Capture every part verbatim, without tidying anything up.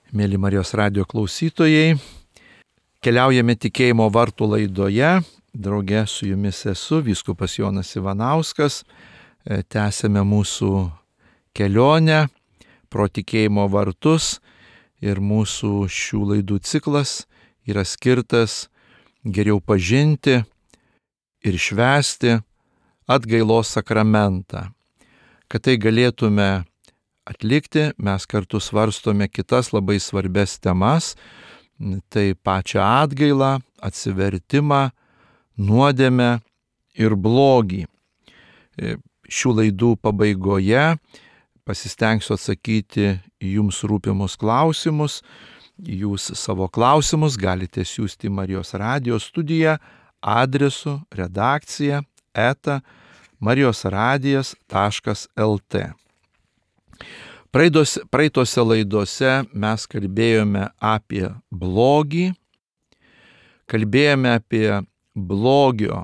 Mėly Marijos radijo klausytojai, keliaujame tikėjimo vartų laidoje. Drauge su jumis esu vyskupas Jonas Ivanauskas. Tęsėme mūsų kelionę pro tikėjimo vartus ir mūsų šių laidų ciklas yra skirtas geriau pažinti ir švęsti atgailos sakramentą. Kad tai galėtume atlikti, mes kartu svarstome kitas labai svarbias temas, tai pačią atgailą, atsivertimą, nuodėmę ir blogį. Šių laidų pabaigoje pasistengsiu atsakyti į jums rūpimus klausimus. Jūs savo klausimus galite siųsti į Marijos radijo studiją adresu redakcija eta marijosradijas taškas lt. Praeitose, praeitose laidose mes kalbėjome apie blogį, kalbėjome apie blogio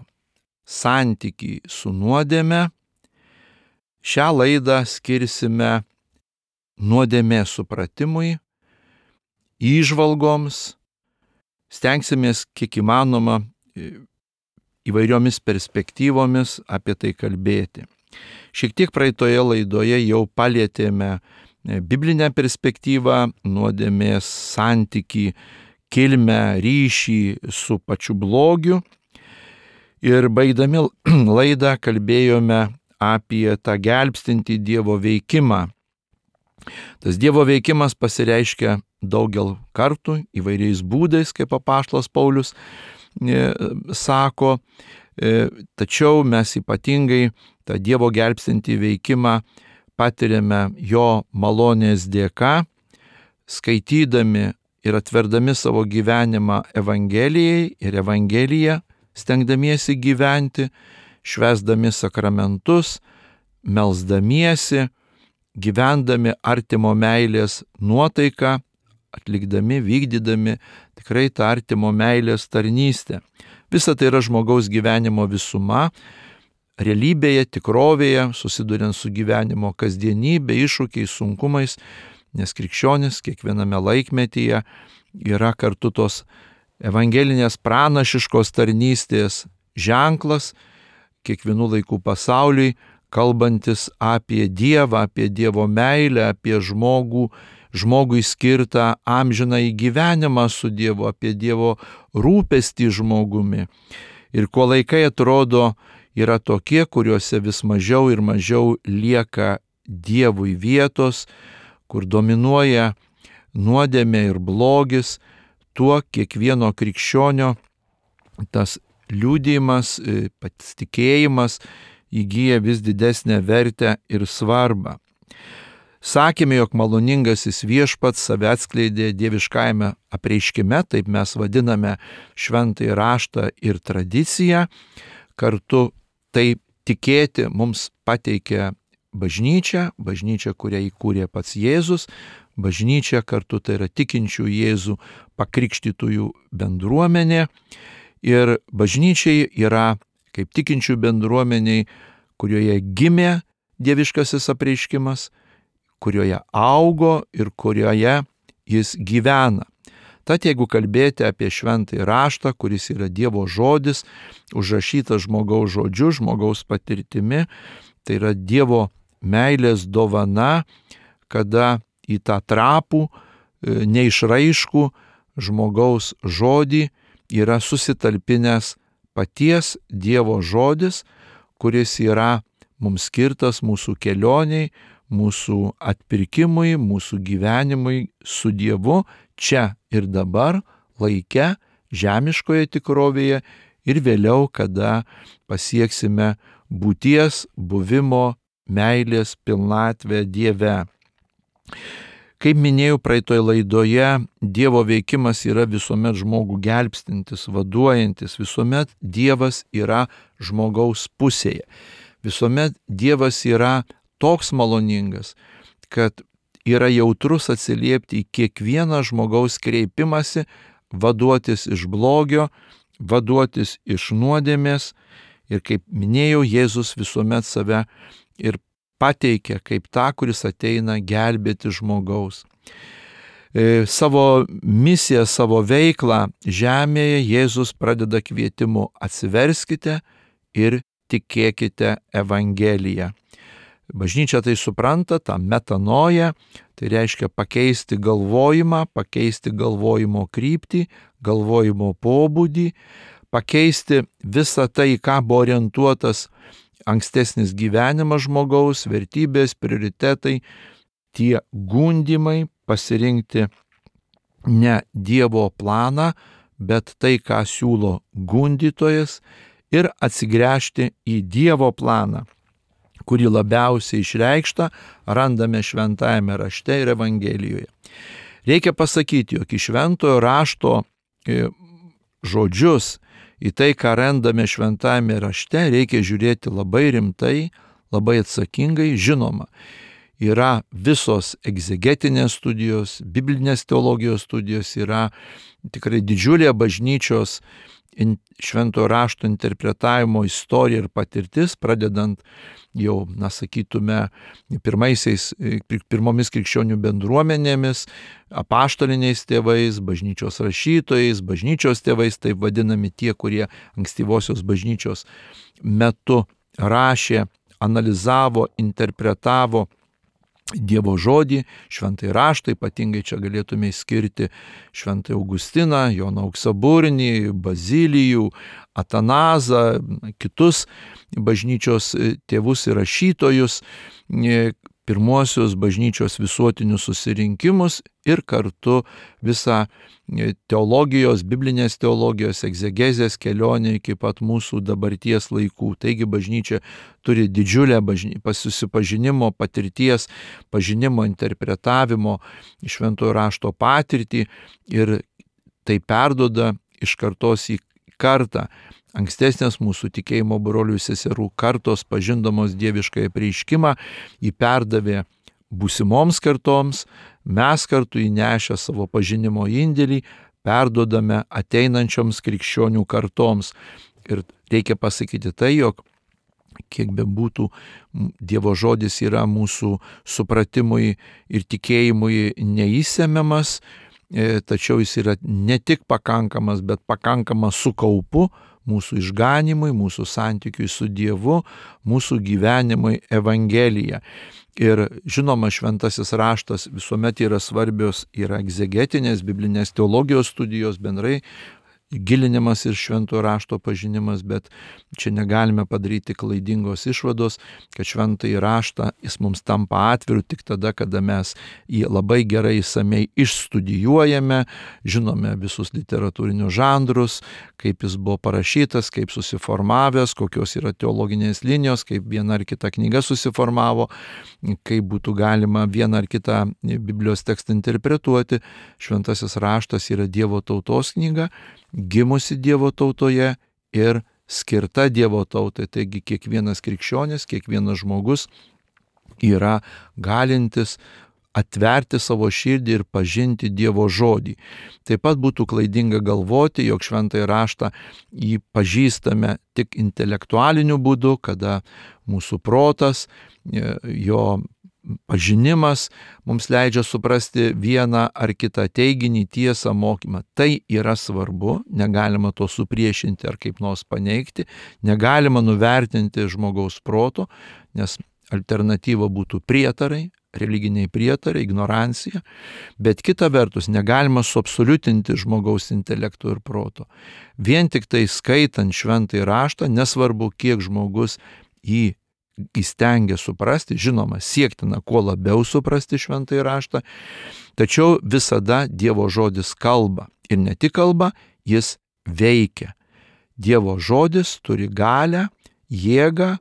santykį su nuodėme. Šią laidą skirsime nuodėmės supratimui, įžvalgoms, stengsimės kiek įmanoma įvairiomis perspektyvomis apie tai kalbėti. Šiek tiek praeitoje laidoje jau palietėme biblinę perspektyvą, nuodėmės santykį, kilmę, ryšį su pačiu blogiu. Ir baigdami laidą kalbėjome apie tą gelbstintį Dievo veikimą. Tas Dievo veikimas pasireiškia daugel kartų, įvairiais būdais, kaip apaštalas Paulius e, sako, e, tačiau mes ypatingai tą Dievo gelbstintį veikimą patiriame jo malonės dėka, skaitydami ir atverdami savo gyvenimą Evangelijai ir Evangeliją, stengdamiesi gyventi, švęsdami sakramentus, melsdamiesi, gyvendami artimo meilės nuotaiką, atlikdami, vykdydami tikrai tą artimo meilės tarnystę. Visa tai yra žmogaus gyvenimo visuma. Realybėje, tikrovėje, susiduriant su gyvenimo kasdienybė, iššūkiais, sunkumais, nes krikščionis kiekviename laikmetyje yra kartu tos evangelinės pranašiškos tarnystės ženklas, kiekvienų laikų pasauliui, kalbantis apie Dievą, apie Dievo meilę, apie žmogų, žmogui skirtą amžinąjį gyvenimą su Dievu, apie Dievo rūpestį žmogumi. Ir kuo laikai atrodo, yra tokie, kuriuose vis mažiau ir mažiau lieka Dievui vietos, kur dominuoja nuodėmė ir blogis, tuo kiekvieno krikščionio tas liudijimas, pats tikėjimas įgyja vis didesnę vertę ir svarbą. Sakėme, jog maloningasis Viešpats save atskleidė dieviškajame apreiškime, taip mes vadiname šventąjį raštą ir tradiciją. Kartu tai tikėti mums pateikė bažnyčia, bažnyčia, kurią įkūrė pats Jėzus, bažnyčia kartu tai yra tikinčių Jėzų pakrikštytųjų bendruomenė. Ir bažnyčiai yra kaip tikinčių bendruomeniai, kurioje gimė dieviškasis apreiškimas, kurioje augo ir kurioje jis gyvena. Tad jeigu kalbėti apie šventąjį raštą, kuris yra Dievo žodis, užrašytas žmogaus žodžiu, žmogaus patirtimi, tai yra Dievo meilės dovana, kada į tą trapų, neišraiškų žmogaus žodį yra susitalpinęs paties Dievo žodis, kuris yra mums skirtas mūsų kelioniai, mūsų atpirkimui, mūsų gyvenimui su Dievu čia ir dabar, laike, žemiškoje tikrovėje ir vėliau, kada pasieksime būties, buvimo, meilės pilnatvę Dieve. Kaip minėjau praeitoje laidoje, Dievo veikimas yra visuomet žmogų gelbstintis, vaduojantis, visuomet Dievas yra žmogaus pusėje. Visuomet Dievas yra toks maloningas, kad yra jautrus atsiliepti į kiekvieną žmogaus kreipimąsi, vaduotis iš blogio, vaduotis iš nuodėmės. Ir kaip minėjau, Jėzus visuomet save ir pateikia kaip tą, kuris ateina gelbėti žmogaus. savo misiją, savo veiklą žemėje Jėzus pradeda kvietimu: atsiverskite ir tikėkite Evangeliją. Bažnyčia tai supranta, tą metanoją, tai reiškia pakeisti galvojimą, pakeisti galvojimo kryptį, galvojimo pobūdį, pakeisti visą tai, ką buvo orientuotas ankstesnis gyvenimas žmogaus, vertybės, prioritetai, tie gundimai, pasirinkti ne Dievo planą, bet tai, ką siūlo gundytojas, ir atsigręžti į Dievo planą, kurį labiausiai išreikštą randame šventajame rašte ir Evangelijoje. Reikia pasakyti, jog į šventojo rašto žodžius, į tai, ką randame šventajame rašte, reikia žiūrėti labai rimtai, labai atsakingai. Žinoma, yra visos egzegetinės studijos, biblinės teologijos studijos, yra tikrai didžiulė bažnyčios šventojo rašto interpretavimo istorija ir patirtis, pradedant jau, na, sakytume, pirmaisiais, pirmomis krikščionių bendruomenėmis, apaštaliniais tėvais, bažnyčios rašytojais, bažnyčios tėvais, taip vadinami tie, kurie ankstyvosios bažnyčios metu rašė, analizavo, interpretavo Dievo žodį, šventąjį raštą, ypatingai čia galėtume skirti šventąjį Augustiną, Joną Auksaburnį, Bazilijų, Atanazą, kitus bažnyčios tėvus ir rašytojus, pirmuosius bažnyčios visuotinius susirinkimus ir kartu visą teologijos, biblinės teologijos, egzegezės kelionę iki pat mūsų dabarties laikų. Taigi bažnyčia turi didžiulę bažny... susipažinimo, patirties, pažinimo, interpretavimo šventojo rašto patirtį ir tai perduoda iš kartos į kartą. Ankstesnės mūsų tikėjimo brolių ir seserų kartos, pažindamos dieviškąją apreiškimą, jį perdavė būsimoms kartoms, mes kartu įnešę savo pažinimo indėlį perduodame ateinančioms krikščionių kartoms. Ir reikia pasakyti tai, jog kiek bebūtų Dievo žodis yra mūsų supratimui ir tikėjimui neįsemiamas, tačiau jis yra ne tik pakankamas, bet pakankamas su kaupu mūsų išganimui, mūsų santykiui su Dievu, mūsų gyvenimui Evangelija. Ir žinoma, šventasis raštas visuomet yra svarbios, yra egzegetinės, biblinės teologijos studijos, bendrai gilinimas ir šventojo rašto pažinimas, bet čia negalime padaryti klaidingos išvados, kad šventąjį raštą jis mums tampa atviru tik tada, kada mes jį labai gerai išsamei išstudijuojame, žinome visus literatūrinius žanrus, kaip jis buvo parašytas, kaip susiformavęs, kokios yra teologinės linijos, kaip viena ar kita knyga susiformavo, kaip būtų galima vieną ar kitą Biblijos tekstą interpretuoti. Šventasis raštas yra Dievo tautos knyga, gimusi Dievo tautoje ir skirta Dievo tautai. Taigi kiekvienas krikščionis, kiekvienas žmogus yra galintis atverti savo širdį ir pažinti Dievo žodį. Taip pat būtų klaidinga galvoti, jog šventąjį raštą jį pažįstame tik intelektualiniu būdu, kada mūsų protas, jo pažinimas mums leidžia suprasti vieną ar kitą teiginį, tiesą, mokymą. Tai yra svarbu, negalima to supriešinti ar kaip nors paneigti, negalima nuvertinti žmogaus proto, nes alternatyva būtų prietarai, religiniai prietarai, ignorancija, bet kita vertus negalima suabsoliutinti žmogaus intelekto ir proto. Vien tik tai skaitant šventąjį raštą, nesvarbu, kiek žmogus jį įstengia suprasti, žinoma, siektina kuo labiau suprasti šventąjį raštą, tačiau visada Dievo žodis kalba. Ir ne tik kalba, jis veikia. Dievo žodis turi galią, jėgą,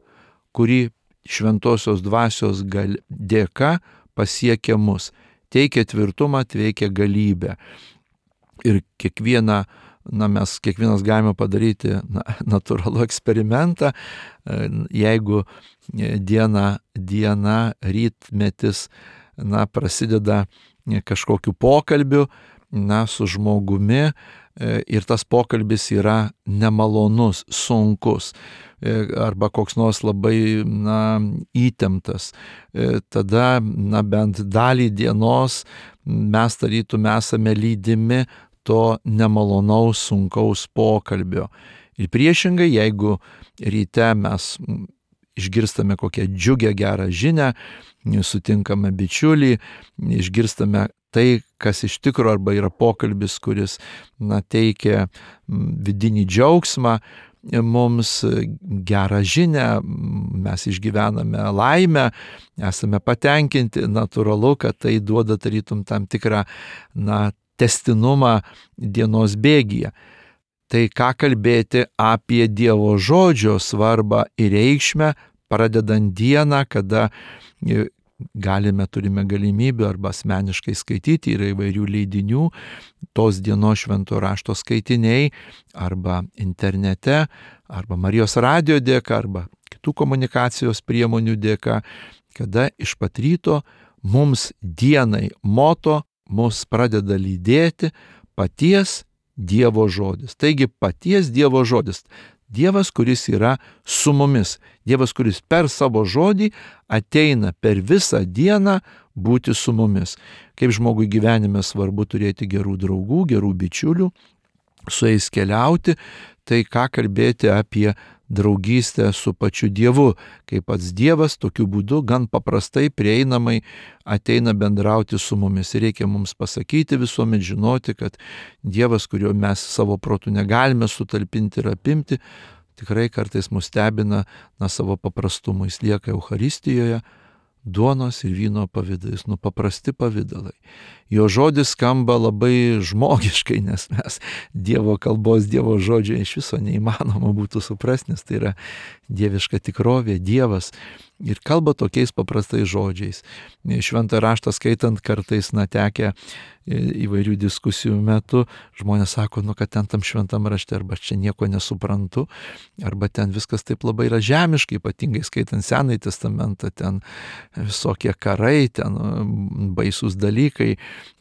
kuri šventosios dvasios gal, dėka pasiekia mus. Teikia tvirtumą, teikia galybę. Ir kiekvieną Na, mes kiekvienas galime padaryti na, natūralų eksperimentą, jeigu diena, diena rytmetis na, prasideda kažkokiu pokalbiu, na, su žmogumi ir tas pokalbis yra nemalonus, sunkus arba koks nors labai, na, įtemptas, tada, na, bent dalį dienos mes tarytum esame lydimi to nemalonaus, sunkaus pokalbio. Ir priešingai, jeigu ryte mes išgirstame kokią džiugę gerą žinią, sutinkame bičiulį, išgirstame tai, kas iš tikro arba yra pokalbis, kuris, na, teikia vidinį džiaugsmą, mums gerą žinią, mes išgyvename laimę, esame patenkinti, natūralu, kad tai duoda tarytum tam tikrą, na, testinumą dienos bėgyje. Tai ką kalbėti apie Dievo žodžio svarbą ir reikšmę, pradedant dieną, kada galime, turime galimybę arba asmeniškai skaityti, yra įvairių leidinių, tos dienos švento rašto skaitiniai, arba internete, arba Marijos radijo dėka, arba kitų komunikacijos priemonių dėka, kada iš pat ryto mums dienai moto mus pradeda lydėti paties Dievo žodis. Taigi paties Dievo žodis. Dievas, kuris yra su mumis. Dievas, kuris per savo žodį ateina per visą dieną būti su mumis. Kaip žmogui gyvenime svarbu turėti gerų draugų, gerų bičiulių, su jais keliauti, tai ką kalbėti apie draugystę su pačiu Dievu, kaip pats Dievas tokiu būdu gan paprastai prieinamai ateina bendrauti su mumis. Ir reikia mums pasakyti visuomet, žinoti, kad Dievas, kurio mes savo protu negalime sutalpinti ir apimti, tikrai kartais mus stebina, na, savo paprastumu. Jis lieka Eucharistijoje, duonos ir vyno pavidalais, nu paprasti pavidalai. Jo žodis skamba labai žmogiškai, nes mes Dievo kalbos, Dievo žodžio iš viso neįmanoma būtų suprasti, nes tai yra dieviška tikrovė, Dievas. Ir kalba tokiais paprastais žodžiais. Šventą raštą skaitant kartais, na, tekę įvairių diskusijų metu, žmonės sako, nu, kad ten tam šventam rašte arba čia nieko nesuprantu, arba ten viskas taip labai yra žemiškai, ypatingai skaitant Senąjį testamentą, ten visokie karai, ten baisūs dalykai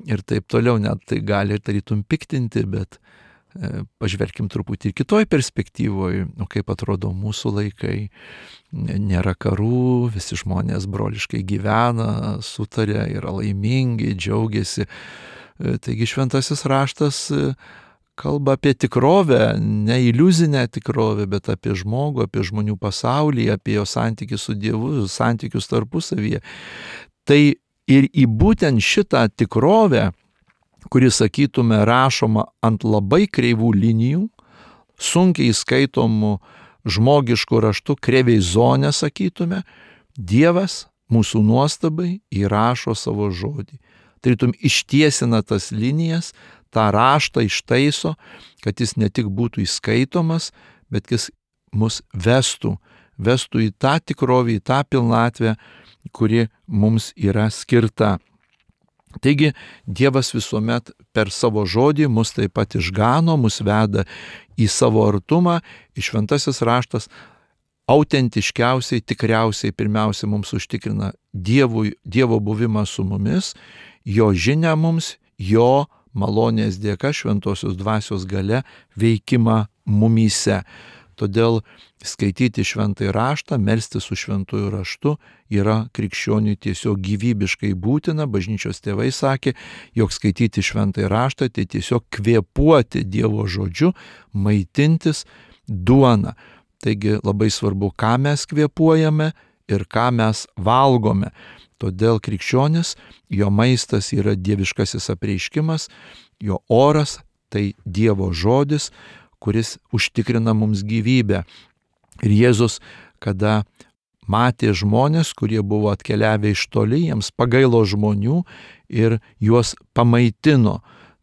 ir taip toliau, net tai gali tarytum piktinti, bet pažvelkim truputį ir kitoj perspektyvoje, nu, kaip atrodo mūsų laikai, nėra karų, visi žmonės broliškai gyvena, sutarė, yra laimingi, džiaugiasi. Taigi šventasis raštas kalba apie tikrovę, ne iliuzinę tikrovę, bet apie žmogų, apie žmonių pasaulį, apie jo santykius su Dievu, santykius tarpusavyje. Tai ir į būtent šitą tikrovę, kuri, sakytume, rašoma ant labai kreivų linijų, sunkiai skaitomų žmogiškų raštų, kreivai zonė, sakytume, Dievas mūsų nuostabai įrašo savo žodį. Tarytum ištiesina tas linijas, tą raštą ištaiso, kad jis ne tik būtų įskaitomas, bet jis mus vestų, vestų į tą tikrovę, į tą pilnatvę, kuri mums yra skirta. Taigi Dievas visuomet per savo žodį mus taip pat išgano, mus veda į savo artumą, ir šventasis raštas autentiškiausiai, tikriausiai pirmiausia mums užtikrina Dievui, Dievo buvimą su mumis, jo žinią mums, jo malonės dėka, šventosios dvasios galia veikimą mumyse. Todėl skaityti šventąjį raštą, melstis su šventųjų raštu yra krikščioniui tiesiog gyvybiškai būtina. Bažnyčios tėvai sakė, jog skaityti šventąjį raštą tai tiesiog kvėpuoti Dievo žodžiu, maitintis duona. Taigi labai svarbu, ką mes kvėpuojame ir ką mes valgome. Todėl krikščionis, jo maistas yra dieviškasis apreiškimas, jo oras tai Dievo žodis, kuris užtikrina mums gyvybę. Ir Jėzus, kada matė žmonės, kurie buvo atkeliavę iš toli, jiems pagailo žmonių ir juos pamaitino.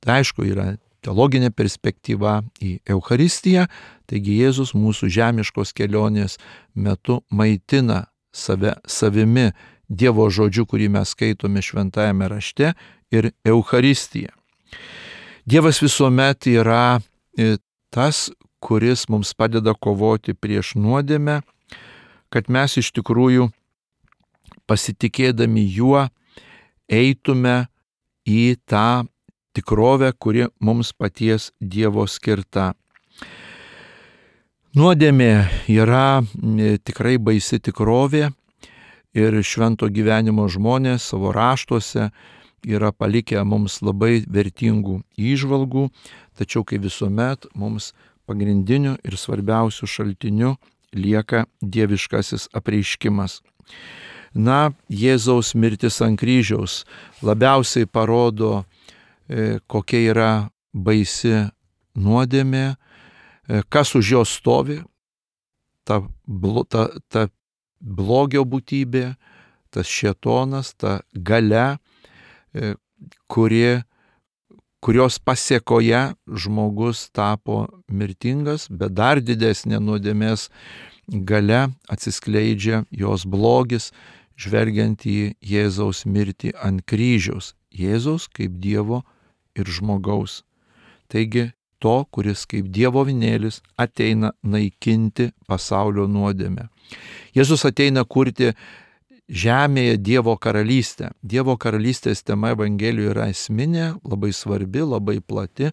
Tai aišku, yra teologinė perspektyva į Eucharistiją, taigi Jėzus mūsų žemiškos kelionės metu maitina save savimi, Dievo žodžiu, kurį mes skaitome šventajame rašte, ir Eucharistija. Dievas visuomet yra tas, kuris mums padeda kovoti prieš nuodėmę, kad mes iš tikrųjų pasitikėdami juo eitume į tą tikrovę, kuri mums paties Dievo skirta. Nuodėmė yra tikrai baisi tikrovė ir švento gyvenimo žmonės savo raštuose yra palikę mums labai vertingų įžvalgų, tačiau kaip visuomet mums pagrindiniu ir svarbiausiu šaltiniu lieka dieviškasis apreiškimas. Na, Jėzaus mirtis ant kryžiaus labiausiai parodo, kokia yra baisi nuodėmė, kas už jos stovi, ta, ta, ta blogio būtybė, tas šėtonas, ta galia, kuri, kurios pasėkoje žmogus tapo mirtingas, bet dar didesnė nuodėmės galia atsiskleidžia jos blogis, žvelgiant į Jėzaus mirtį ant kryžiaus. Jėzaus kaip Dievo ir žmogaus. Taigi, to, kuris kaip Dievo avinėlis ateina naikinti pasaulio nuodėmę. Jėzus ateina kurti žemėje Dievo karalystę. Dievo karalystės tema Evangelijoje yra esminė, labai svarbi, labai plati,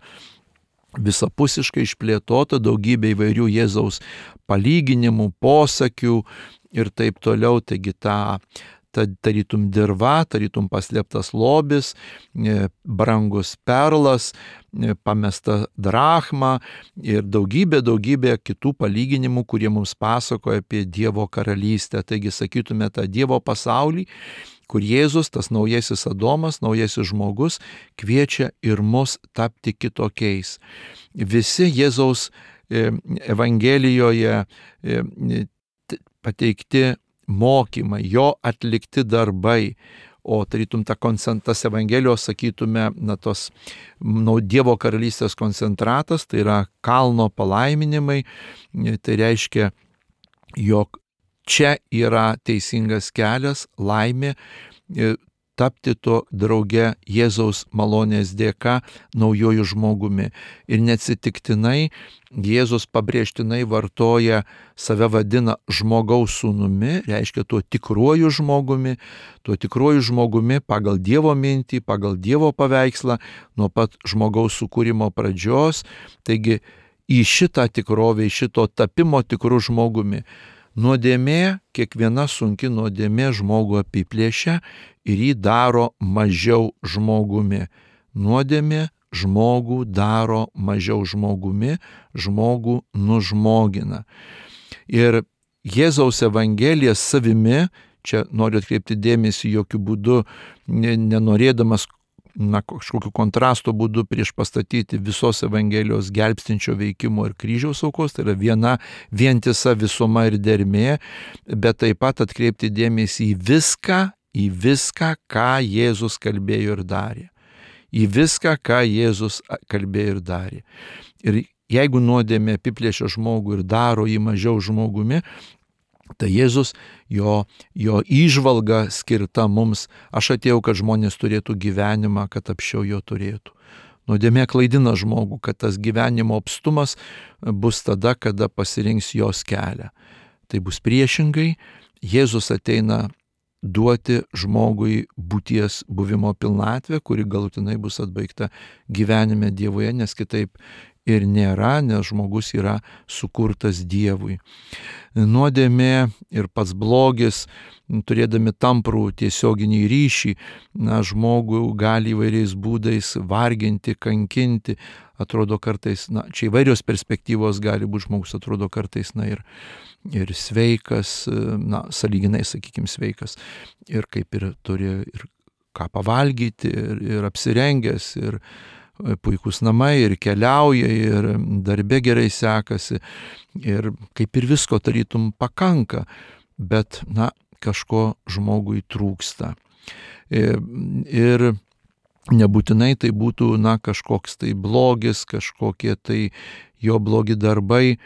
visapusiškai išplėtota, daugybė įvairių Jėzaus palyginimų, posakių ir taip toliau. Taigi ta, ta tarytum dirva, tarytum paslėptas lobis, brangus perlas, pamesta drachma ir daugybė, daugybė kitų palyginimų, kurie mums pasakoja apie Dievo karalystę. Taigi sakytume tą Dievo pasaulį, kur Jėzus, tas naujasis Adomas, naujasis žmogus, kviečia ir mus tapti kitokiais. Visi Jėzaus Evangelijoje pateikti mokymai, jo atlikti darbai, o tarytum ta tas Evangelijos, sakytume, na, tos nu, Dievo karalystės koncentratas, tai yra kalno palaiminimai, tai reiškia, jog čia yra teisingas kelias, laimė, tapti to drauge Jėzaus malonės dėka naujojų žmogumi. Ir neatsitiktinai Jėzus pabrėžtinai vartoja, save vadina žmogaus sūnumi, reiškia tuo tikruoju žmogumi, tuo tikruoju žmogumi pagal Dievo mintį, pagal Dievo paveikslą, nuo pat žmogaus sukūrimo pradžios. Taigi į šitą tikrovę, į šito tapimo tikru žmogumi. Nuodėmė, kiekviena sunki nuodėmė žmogų apiplėšia ir jį daro mažiau žmogumi. Nuodėmė žmogų daro mažiau žmogumi, žmogų nužmogina. Ir Jėzaus Evangelija savimi, čia noriu atkreipti dėmesį jokių būdų, nenorėdamas na, kažkokiu kontrasto būdu prieš pastatyti visos Evangelijos gelbstinčio veikimo ir kryžiaus aukos, tai yra viena vientisa visuma ir dermė, bet taip pat atkreipti dėmesį į viską, į viską, ką Jėzus kalbėjo ir darė. Į viską, ką Jėzus kalbėjo ir darė. Ir jeigu nuodėmė apiplėšia žmogų ir daro jį mažiau žmogumi, tai Jėzus, jo, jo įžvalga skirta mums, aš atėjau, kad žmonės turėtų gyvenimą, kad apsčiau jo turėtų. Nuodėmė klaidina žmogų, kad tas gyvenimo apstumas bus tada, kada pasirinks jos kelią. Tai bus priešingai, Jėzus ateina duoti žmogui būties buvimo pilnatvę, kuri galutinai bus atbaigta gyvenime Dievoje, nes kitaip ir nėra, nes žmogus yra sukurtas Dievui. Nuodėmė ir pats blogis, turėdami tamprų tiesioginį ryšį, na, žmogų gali įvairiais būdais varginti, kankinti. Atrodo kartais, na, čia įvairios perspektyvos gali būti, žmogus atrodo kartais, na, ir, ir sveikas, na, sąlyginai, sakykime, sveikas. Ir kaip ir turi ir ką pavalgyti, ir, ir apsirengęs, ir puikus namai, ir keliauja, ir darbe gerai sekasi, ir kaip ir visko tarytum pakanka, bet, na, kažko žmogui trūksta. Ir, ir nebūtinai tai būtų, na, kažkoks tai blogis, kažkokie tai jo blogi darbai,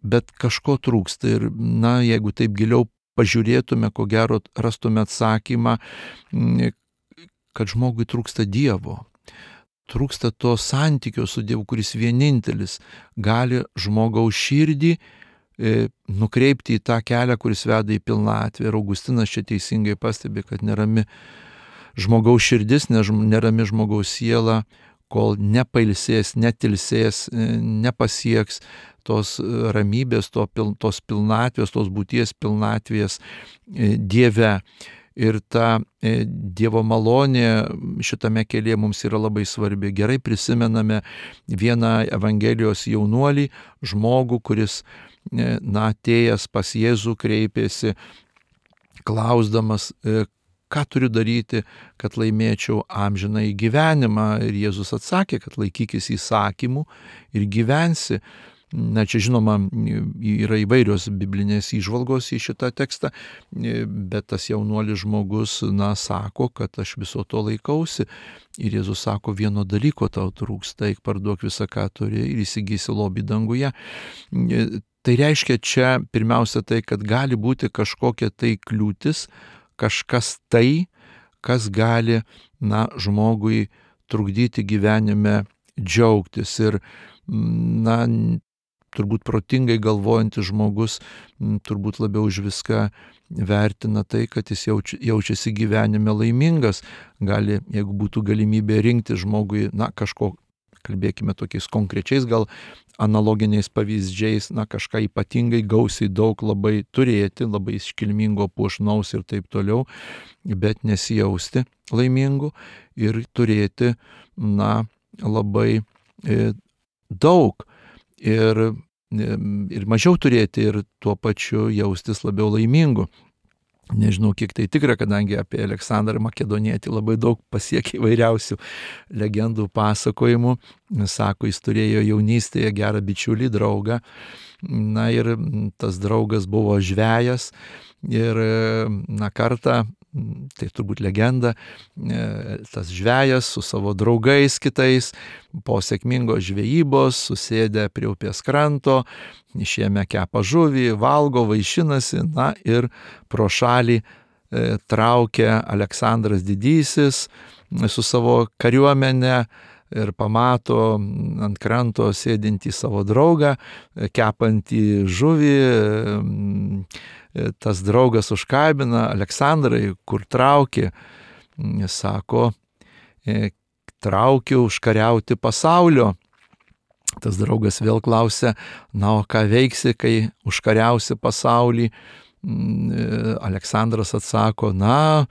bet kažko trūksta. Ir, na, jeigu taip giliau pažiūrėtume, ko gero rastume atsakymą, kad žmogui trūksta Dievo. Trūksta to santykio su Dievu, kuris vienintelis gali žmogaus širdį e, nukreipti į tą kelią, kuris veda į pilnatvę. Ir Augustinas čia teisingai pastebi, kad nerami žmogaus širdis, nerami žmogaus siela, kol nepailsės, netilsės, nepasieks tos ramybės, to, tos pilnatvės, tos būties pilnatvės Dieve. Ir ta Dievo malonė šitame kelyje mums yra labai svarbi. Gerai prisimename vieną Evangelijos jaunuolį, žmogų, kuris, na, atėjęs pas Jėzų kreipėsi, klausdamas, ką turiu daryti, kad laimėčiau amžinąjį gyvenimą. Ir Jėzus atsakė, kad laikykis įsakymų ir gyvensi. Na, čia žinoma, yra įvairios biblinės įžvalgos į šitą tekstą, bet tas jaunuolis žmogus, na, sako, kad aš viso to laikausi. Ir Jėzus sako, vieno dalyko tau trūksta, eik parduok visą, ką turi, ir įsigysi lobį danguje. Tai reiškia čia pirmiausia tai, kad gali būti kažkokia tai kliūtis, kažkas tai, kas gali, na, žmogui trukdyti gyvenime džiaugtis. Ir, na, turbūt protingai galvojantis žmogus turbūt labiau už viską vertina tai, kad jis jauči, jaučiasi gyvenime laimingas. Gali, jeigu būtų galimybė rinkti žmogui, na, kažko, kalbėkime tokiais konkrečiais, gal analoginiais pavyzdžiais, na, kažką ypatingai gausiai daug labai turėti, labai iškilmingo, puošnaus ir taip toliau, bet nesijausti laimingu ir turėti, na, labai e, daug. Ir, ir mažiau turėti ir tuo pačiu jaustis labiau laimingu. Nežinau, kiek tai tikra, kadangi apie Aleksandrą Makedonietį labai daug pasiekė įvairiausių legendų pasakojimų. Sako, jis turėjo jaunystėje gerą bičiulį, draugą. Na ir tas draugas buvo žvejas ir, na, kartą, tai turbūt legenda, tas žvejas su savo draugais kitais po sėkmingos žvejybos susėdę prie upės kranto, išėmė kepa žuvį, valgo, vaišinasi, na ir pro šalį e, traukia Aleksandras Didysis su savo kariuomene ir pamato ant kranto sėdintį savo draugą, kepantį žuvį. Tas draugas užkabina, Aleksandrai, kur trauki? Sako, traukiu užkariauti pasaulio. Tas draugas vėl klausia, na, o ką veiksi, kai užkariausi pasaulį? Aleksandras atsako, na,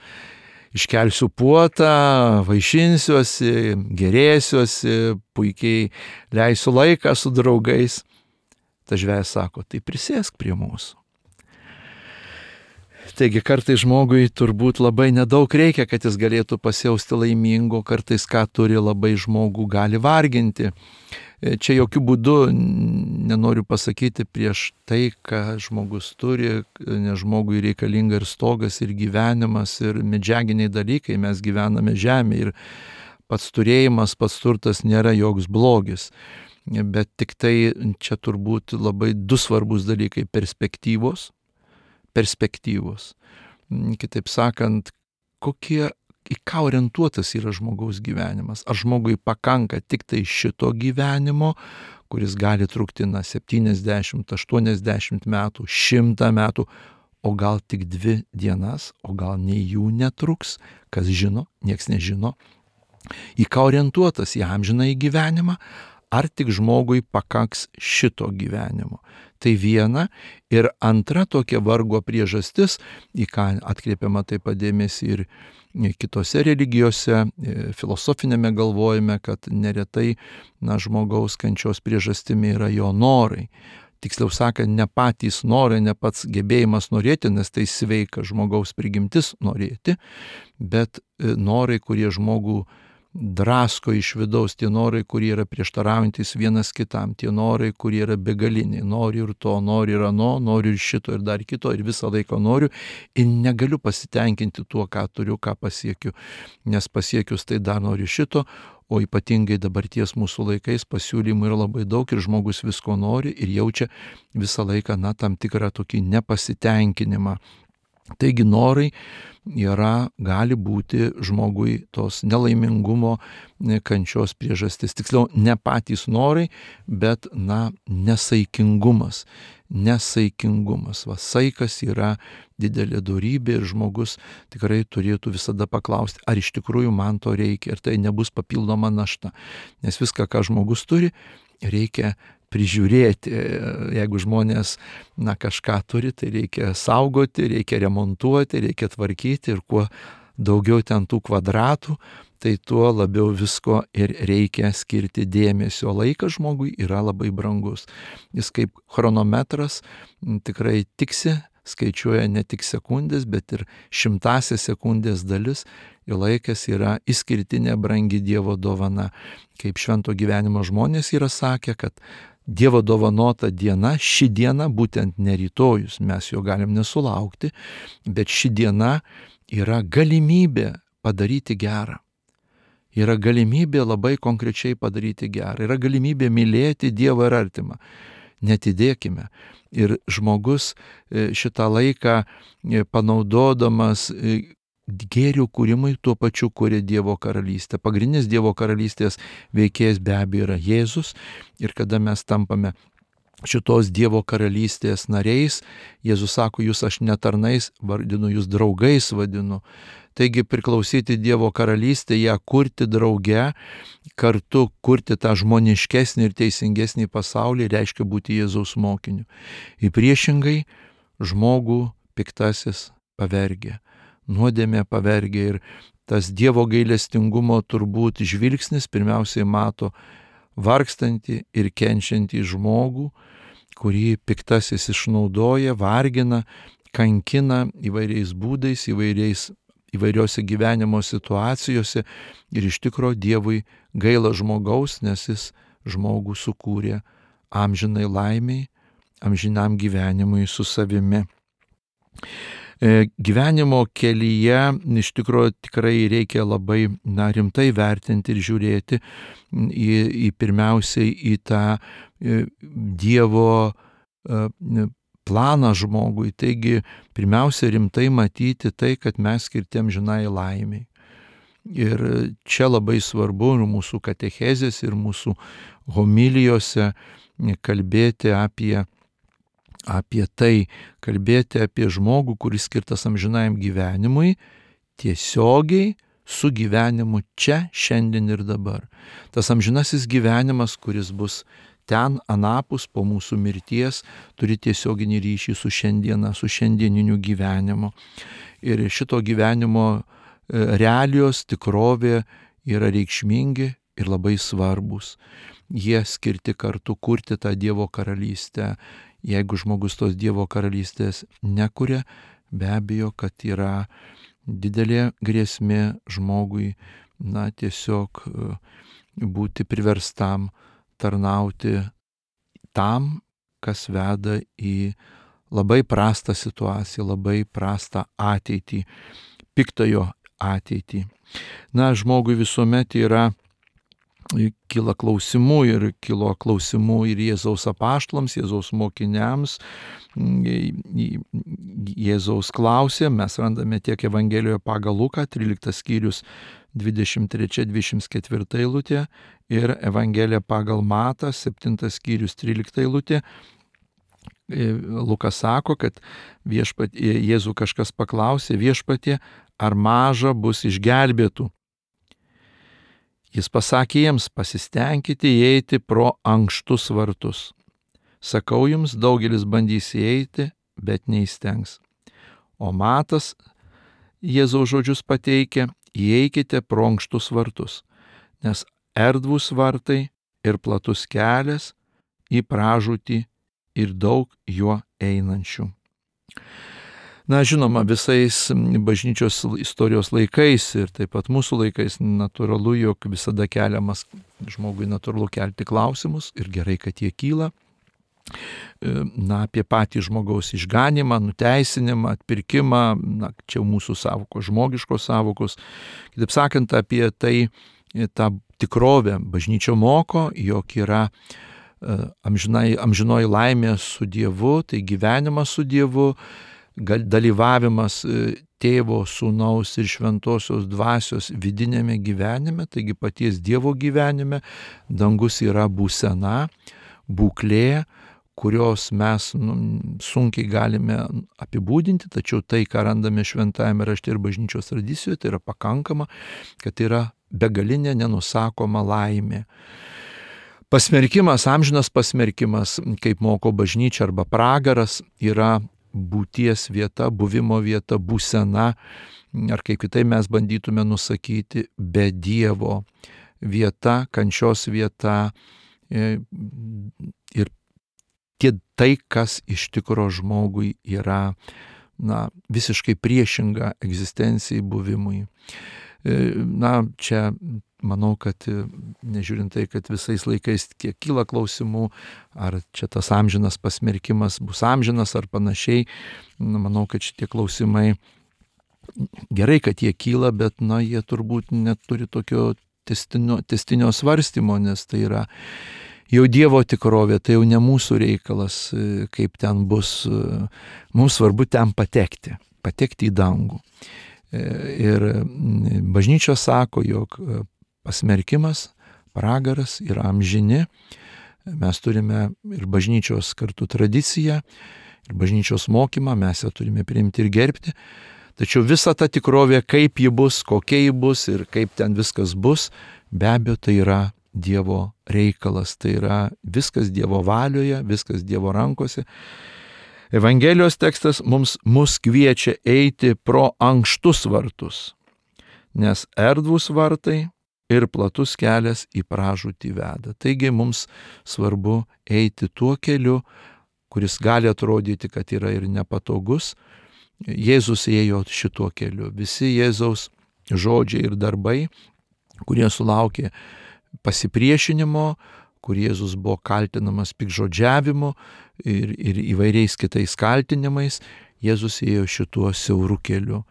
iškelsiu puotą, vaišinsiuosi, gerėsiuosi, puikiai leisiu laiką su draugais. Tas žvejas sako, tai prisėsk prie mūsų. Taigi kartais žmogui turbūt labai nedaug reikia, kad jis galėtų pasijausti laimingo, kartais ką turi labai žmogų gali varginti. Čia jokių būdų nenoriu pasakyti prieš tai, ką žmogus turi, nes žmogui reikalinga ir stogas, ir gyvenimas, ir medžiaginiai dalykai, mes gyvename žemėje ir pats turėjimas, pats turtas nėra joks blogis. Bet tik tai čia turbūt labai du svarbus dalykai - perspektyvos. perspektyvos. Kitaip sakant, kokie, į ką orientuotas yra žmogaus gyvenimas. Ar žmogui pakanka tik tai šito gyvenimo, kuris gali trukti na septyniasdešimt, aštuoniasdešimt metų, šimtą metų, o gal tik dvi dienas, o gal nei jų netruks, kas žino, nieks nežino. Į ką orientuotas, į amžinąjį gyvenimą, ar tik žmogui pakaks šito gyvenimo. Tai viena. Ir antra tokia vargo priežastis, į ką atkreipiama taip pat dėmesį ir kitose religijose, filosofinėme galvojime, kad neretai na, žmogaus kančios priežastimi yra jo norai. Tiksliau sakant, ne patys norai, ne pats gebėjimas norėti, nes tai sveika žmogaus prigimtis norėti, bet norai, kurie žmogų drasko iš vidaus, tie norai, kurie yra prieštaraujantis vienas kitam, tie norai, kurie yra begaliniai, noriu ir to, noriu ir ano, noriu ir šito ir dar kito ir visą laiką noriu ir negaliu pasitenkinti tuo, ką turiu, ką pasiekiu, nes pasiekius tai dar noriu šito, o ypatingai dabarties mūsų laikais pasiūlymų yra labai daug ir žmogus visko nori ir jaučia visą laiką, na, tam tikrą tokį nepasitenkinimą. Taigi norai yra, gali būti žmogui tos nelaimingumo, kančios priežastis. Tiksliau, ne patys norai, bet, na, nesaikingumas. Nesaikingumas. Va, saikas yra didelė dorybė ir žmogus tikrai turėtų visada paklausti, ar iš tikrųjų man to reikia, ir tai nebus papildoma našta. Nes viską, ką žmogus turi, reikia prižiūrėti. Jeigu žmonės, na, kažką turi, tai reikia saugoti, reikia remontuoti, reikia tvarkyti, ir kuo daugiau ten tų kvadratų, tai tuo labiau visko ir reikia skirti dėmesio. Laikas žmogui yra labai brangus. Jis kaip chronometras tikrai tiksi, skaičiuoja ne tik sekundės, bet ir šimtąsias sekundės dalis. Jo laikas yra išskirtinė brangi Dievo dovana. Kaip švento gyvenimo žmonės yra sakę, kad Dievo dovanota diena, ši diena, būtent ne rytojus, mes jo galim nesulaukti, bet ši diena yra galimybė padaryti gerą. Yra galimybė labai konkrečiai padaryti gerą. Yra galimybė mylėti Dievą ir artimą. Netidėkime. Ir žmogus šitą laiką panaudodamas gėrių kūrimui, tuo pačiu kuria Dievo karalystę. Pagrindinis Dievo karalystės veikėjas be abejo yra Jėzus, ir kada mes tampame šitos Dievo karalystės nariais, Jėzus sako, jūs aš ne tarnais vardinu, jūs draugais vadinu. Taigi priklausyti Dievo karalystę, ją kurti drauge, kartu kurti tą žmoniškesnį ir teisingesnį pasaulį, reiškia būti Jėzaus mokiniu. Ir priešingai žmogų piktasis pavergia. Nuodėmė pavergia, ir tas Dievo gailestingumo turbūt žvilgsnis pirmiausiai mato vargstantį ir kenčiantį žmogų, kurį piktasis išnaudoja, vargina, kankina įvairiais būdais, įvairiais, įvairiose gyvenimo situacijose, ir iš tikro Dievui gaila žmogaus, nes jis žmogų sukūrė amžinai laimiai, amžinam gyvenimui su savimi. Gyvenimo kelyje iš tikrųjų tikrai reikia labai, na, rimtai vertinti ir žiūrėti į, į pirmiausiai į tą Dievo planą žmogui. Taigi pirmiausia rimtai matyti tai, kad mes skirti amžinai laimiai. Ir čia labai svarbu ir mūsų katechezės, ir mūsų homilijose kalbėti apie apie tai, kalbėti apie žmogų, kuris skirtas amžinajam gyvenimui, tiesiogiai su gyvenimu čia, šiandien ir dabar. Tas amžinasis gyvenimas, kuris bus ten anapus po mūsų mirties, turi tiesioginį ryšį su šiandiena, su šiandieniniu gyvenimu. Ir šito gyvenimo realijos, tikrovė yra reikšmingi ir labai svarbus. Jie skirti kartu kurti tą Dievo karalystę. Jeigu žmogus tos Dievo karalystės nekuria, be abejo, kad yra didelė grėsmė žmogui, na, tiesiog būti priverstam tarnauti tam, kas veda į labai prastą situaciją, labai prastą ateitį, piktojo ateitį. Na, žmogui visuomet yra kyla klausimų, ir kilo klausimų ir Jėzaus apaštalams, Jėzaus mokiniams. Jėzaus klausė, mes randame tiek Evangelijoje pagal Luką, tryliktas skyrius, dvidešimt trečia dvidešimt ketvirta eilutė, ir Evangelija pagal Matą, septintas skyrius, trylikta eilutė. Lukas sako, kad viešpat, Jėzų kažkas paklausė, viešpatie, ar maža bus išgelbėtų? Jis pasakė jiems, pasistengkite įeiti pro ankštus vartus. Sakau jums, daugelis bandys įeiti, bet neįstengs. O Matas Jėzaus žodžius pateikia, įeikite pro ankštus vartus, nes erdvūs vartai ir platus kelias į pražūtį ir daug juo einančių. Na, žinoma, visais bažnyčios istorijos laikais ir taip pat mūsų laikais natūralu, jog visada keliamas žmogui natūralu kelti klausimus, ir gerai, kad jie kyla. Na, apie patį žmogaus išganimą, nuteisinimą, atpirkimą, na, čia mūsų savokos, žmogiškos savokos. Kitaip sakant, apie tai tą tikrovę bažnyčia moko, jog yra amžinai, amžinoji laimė su Dievu, tai gyvenimas su Dievu, dalyvavimas Tėvo, Sūnaus ir Šventosios Dvasios vidinėme gyvenime, taigi paties Dievo gyvenime. Dangus yra būsena, būklė, kurios mes nu, sunkiai galime apibūdinti, tačiau tai, ką randame Šventajame rašte ir bažnyčios tradicijoje, tai yra pakankama, kad tai yra begalinė nenusakoma laimė. Pasmerkimas, amžinas pasmerkimas, kaip moko bažnyčia, arba pragaras, yra būties vieta, buvimo vieta, būsena, ar kaip kitai mes bandytume nusakyti, be Dievo vieta, kančios vieta ir tie tai, kas iš tikro žmogui yra na, visiškai priešinga egzistencijai, buvimui. Na, čia manau, kad nežiūrint tai, kad visais laikais kiek kyla klausimų, ar čia tas amžinas pasmerkimas bus amžinas ar panašiai, na, manau, kad šitie klausimai gerai, kad jie kyla, bet na, jie turbūt neturi tokio testinio, testinio svarstymo, nes tai yra jau Dievo tikrovė, tai jau ne mūsų reikalas, kaip ten bus. Mums svarbu ten patekti, patekti į dangų. Ir bažnyčia sako, jog pasmerkimas, pragaras yra amžini. Mes turime ir bažnyčios kartu tradiciją, ir bažnyčios mokymą, mes ją turime priimti ir gerbti. Tačiau visa ta tikrovė, kaip ji bus, kokia ji bus ir kaip ten viskas bus, be abejo, tai yra Dievo reikalas, tai yra viskas Dievo valioje, viskas Dievo rankose. Evangelijos tekstas mums mus kviečia eiti pro ankštus vartus, nes erdvūs vartai ir platus kelias į pražūtį veda. Taigi mums svarbu eiti tuo keliu, kuris gali atrodyti, kad yra ir nepatogus. Jėzus ėjo šituo keliu. Visi Jėzaus žodžiai ir darbai, kurie sulaukė pasipriešinimo, kur Jėzus buvo kaltinamas piktžodžiavimu ir, ir įvairiais kitais kaltinimais, Jėzus ėjo šituo siauru keliu.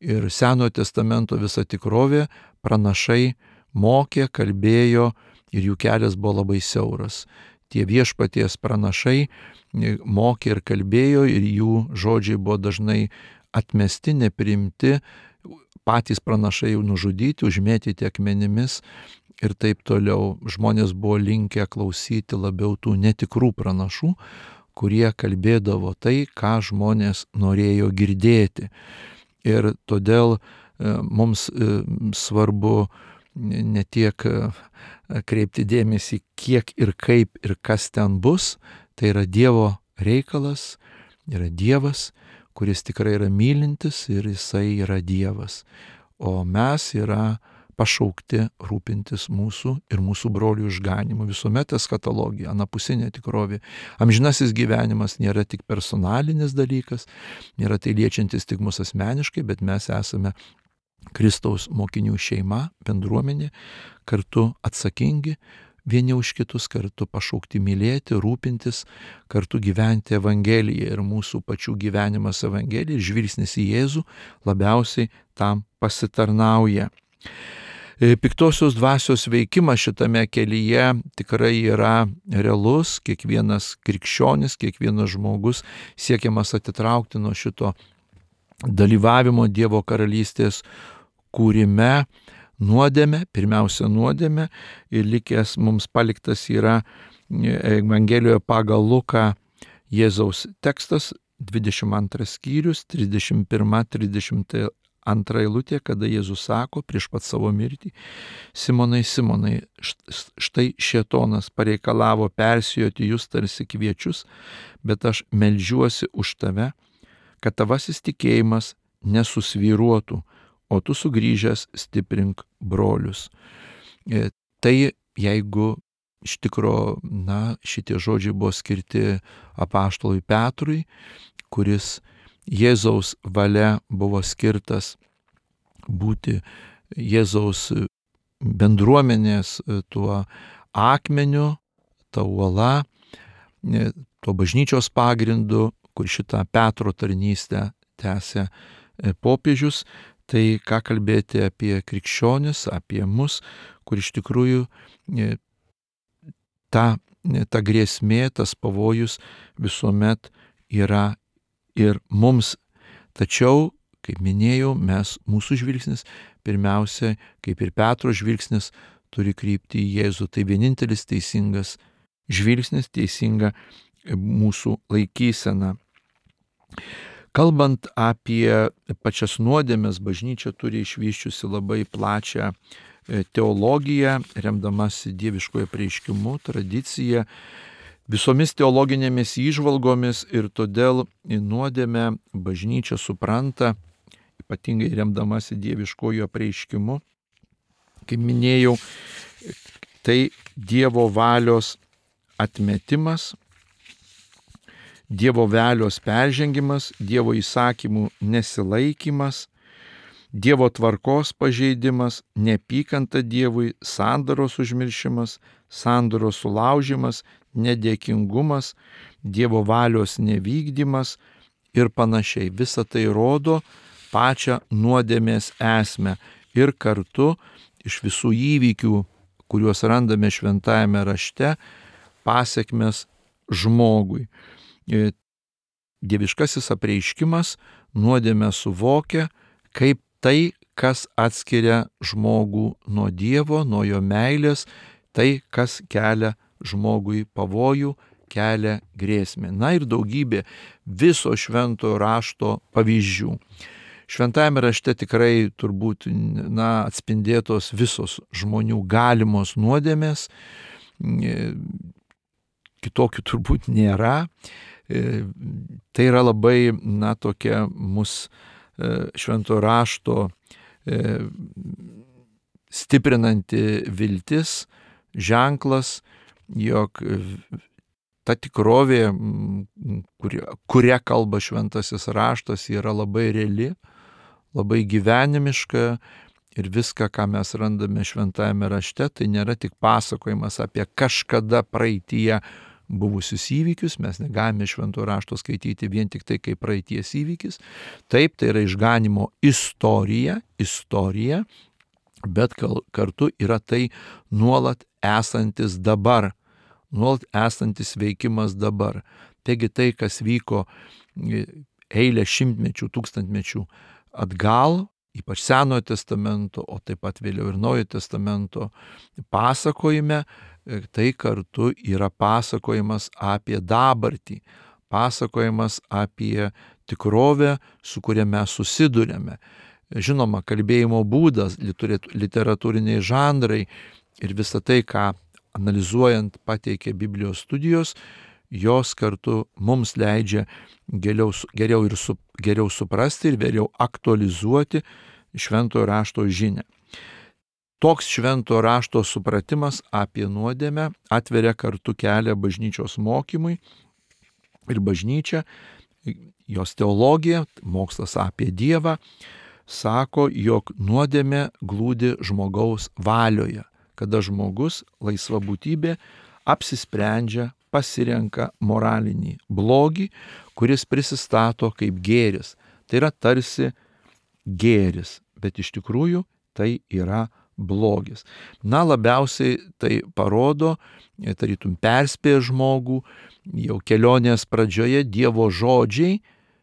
Ir Senojo testamento visa tikrovė, pranašai mokė, kalbėjo ir jų kelias buvo labai siauras. Tie viešpaties pranašai mokė ir kalbėjo ir jų žodžiai buvo dažnai atmesti, nepriimti, patys pranašai jau nužudyti, užmėtyti akmenimis ir taip toliau. Žmonės buvo linkę klausyti labiau tų netikrų pranašų, kurie kalbėdavo tai, ką žmonės norėjo girdėti. Ir todėl mums svarbu ne tiek kreipti dėmesį, kiek ir kaip ir kas ten bus, tai yra Dievo reikalas, yra Dievas, kuris tikrai yra mylintis ir jisai yra Dievas. O mes yra pašaukti rūpintis mūsų ir mūsų brolių išganimu. Visuomet eschatologija, anapusinė tikrovė. Amžinasis gyvenimas nėra tik personalinis dalykas, nėra tai liečiantis tik mus asmeniškai, bet mes esame Kristaus mokinių šeima, bendruomenė, kartu atsakingi vieni už kitus, kartu pašaukti mylėti, rūpintis, kartu gyventi Evangeliją. Ir mūsų pačių gyvenimas Evangelija, žvilgsnis į Jėzų labiausiai tam pasitarnauja. Piktosios dvasios veikimas šitame kelyje tikrai yra realus. Kiekvienas krikščionis, kiekvienas žmogus siekiamas atitraukti nuo šito dalyvavimo Dievo karalystės kūrime, nuodėmė, pirmiausia nuodėmė, ir likęs mums paliktas yra Evangelijoje pagal Luką Jėzaus tekstas, dvidešimt antras skyrius, trisdešimt pirma trisdešimt antra eilutė, kada Jėzus sako prieš pat savo mirtį: Simonai, Simonai, štai šėtonas pareikalavo persijoti jūs tarsi kviečius, bet aš meldžiuosi už tave, kad tavasis tikėjimas nesusvyruotų, o tu sugrįžęs stiprink brolius. Tai jeigu iš tikro, na, šitie žodžiai buvo skirti apaštalui Petrui, kuris Jėzaus valia buvo skirtas būti Jėzaus bendruomenės tuo akmeniu, ta uola, tuo bažnyčios pagrindu, kur šitą Petro tarnystę tęsė popiežius. Tai ką kalbėti apie krikščionis, apie mus, kur iš tikrųjų ta, ta grėsmė, tas pavojus visuomet yra ir mums Tačiau, kaip minėjau, mes, mūsų žvilgsnis, pirmiausia, kaip ir Petro žvilgsnis, turi krypti į Jėzų. Tai vienintelis teisingas žvilgsnis, teisinga mūsų laikysena. Kalbant apie pačias nuodėmes, bažnyčia turi išvyščiusi labai plačią teologiją, remdamasi dieviškojo apreiškimu, tradicija, visomis teologinėmis įžvalgomis, ir todėl nuodėmę bažnyčia supranta, ypatingai remdamasi dieviškojo apreiškimu. Kaip minėjau, tai Dievo valios atmetimas, Dievo valios peržengimas, Dievo įsakymų nesilaikymas, Dievo tvarkos pažeidimas, neapykanta Dievui, sandoros užmiršimas, sandoros sulaužimas, nedėkingumas, Dievo valios nevykdymas ir panašiai. Visa tai rodo pačią nuodėmės esmę ir kartu iš visų įvykių, kuriuos randame šventajame rašte, pasekmes žmogui. Dieviškasis apreiškimas nuodėmę suvokia kaip tai, kas atskiria žmogų nuo Dievo, nuo jo meilės, tai, kas kelia žmogui pavojų, kelia grėsmę. Na ir daugybė viso šventojo rašto pavyzdžių. Šventajame rašte tikrai turbūt na, atspindėtos visos žmonių galimos nuodėmės, kitokių turbūt nėra. Tai yra labai, na, tokia mus šventojo rašto stiprinanti viltis, ženklas, jog ta tikrovė, kuria, kuria kalba šventasis raštas, yra labai reali, labai gyvenimiška ir viską, ką mes randame šventajame rašte, tai nėra tik pasakojimas apie kažkada praeityje buvusius įvykius, mes negalime šventojo rašto skaityti vien tik tai kaip praeities įvykis. Taip, tai yra išganimo istorija, istorija, bet kartu yra tai nuolat esantis dabar, nuolat esantis veikimas dabar. Taigi tai, kas vyko eilę šimtmečių, tūkstantmečių atgal, ypač Senojo testamento, o taip pat vėliau ir Naujojo testamento pasakojime, tai kartu yra pasakojimas apie dabartį, pasakojimas apie tikrovę, su kuria mes susidurėme. Žinoma, kalbėjimo būdas, literatūriniai žanrai ir visa tai, ką analizuojant pateikia Biblijos studijos, jos kartu mums leidžia geriau, geriau, ir su, geriau suprasti ir vėliau aktualizuoti šventojo rašto žinią. Toks šventojo rašto supratimas apie nuodėmę atveria kartu kelią bažnyčios mokymui ir bažnyčia, jos teologija, mokslas apie Dievą, sako, jog nuodėmė glūdi žmogaus valioje, kada žmogus, laisva būtybė, apsisprendžia, pasirenka moralinį blogį, kuris prisistato kaip gėris. Tai yra tarsi gėris, bet iš tikrųjų tai yra blogis. Na, labiausiai tai parodo, tarytum perspėja žmogų, jau kelionės pradžioje Dievo žodžiai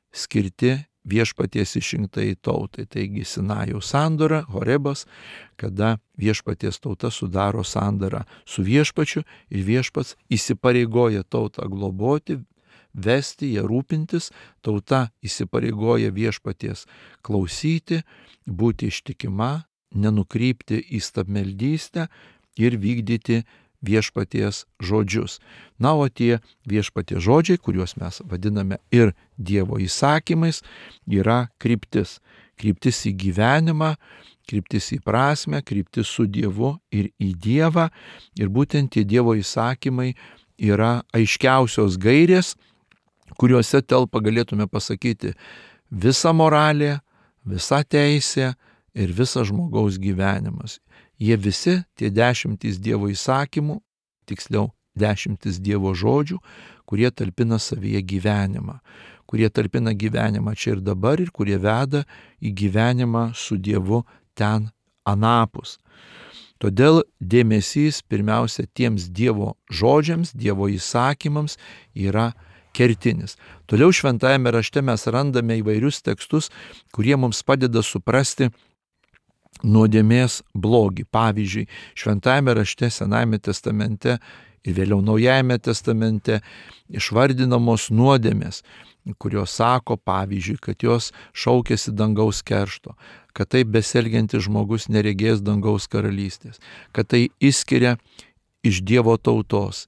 skirti viešpaties išrinktai tautai. Taigi Sinajaus sandora, Horebas, kada viešpaties tauta sudaro sandorą su viešpačiu ir viešpats įsipareigoja tautą globoti, vesti, ją rūpintis, tauta įsipareigoja viešpaties klausyti, būti ištikima, nenukrypti į stabmeldystę ir vykdyti viešpaties žodžius. Na, o tie viešpaties žodžiai, kuriuos mes vadiname ir Dievo įsakymais, yra kryptis. Kryptis į gyvenimą, kryptis į prasmę, kryptis su Dievu ir į Dievą. Ir būtent tie Dievo įsakymai yra aiškiausios gairės, kuriuose telpa, galėtume pasakyti, visa moralė, visa teisė ir visas žmogaus gyvenimas. Jie visi, tie dešimtys Dievo įsakymų, tiksliau dešimtys Dievo žodžių, kurie talpina savyje gyvenimą, kurie talpina gyvenimą čia ir dabar ir kurie veda į gyvenimą su Dievu ten anapus. Todėl dėmesys pirmiausia tiems Dievo žodžiams, Dievo įsakymams yra kertinis. Toliau šventajame rašte mes randame įvairius tekstus, kurie mums padeda suprasti nuodėmės blogį. Pavyzdžiui, šventajame rašte Senajame testamente ir vėliau Naujajame testamente išvardinamos nuodėmės, kurios sako, pavyzdžiui, kad jos šaukėsi dangaus keršto, kad taip besielgiantis žmogus neregės dangaus karalystės, kad tai išskiria iš Dievo tautos,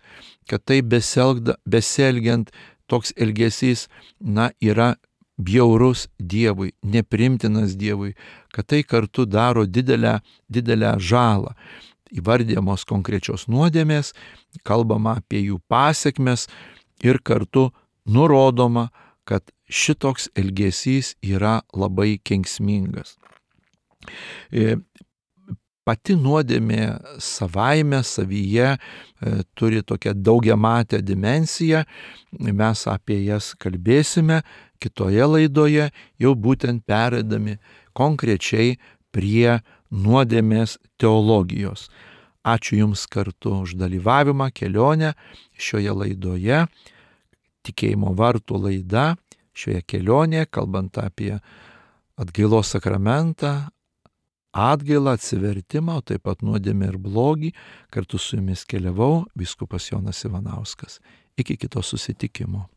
kad taip besielgda, besielgiant toks elgesys, na, yra bjaurus Dievui, neprimtinas Dievui, kad tai kartu daro didelę, didelę žalą. Įvardyjamos konkrečios nuodėmės, kalbama apie jų pasiekmes ir kartu nurodoma, kad šitoks elgesys yra labai kenksmingas. Pati nuodėmė savaime, savyje turi tokią daugiamatę dimensiją, mes apie jas kalbėsime kitoje laidoje, jau būtent pereidami konkrečiai prie nuodėmės teologijos. Ačiū Jums kartu už dalyvavimą, kelionę šioje laidoje, tikėjimo vartų laida, šioje kelionėje, kalbant apie atgailos sakramentą, atgailą, atsivertimą, o taip pat nuodėmę ir blogį. Kartu su Jumis keliavau vyskupas Jonas Ivanauskas. Iki kito susitikimo.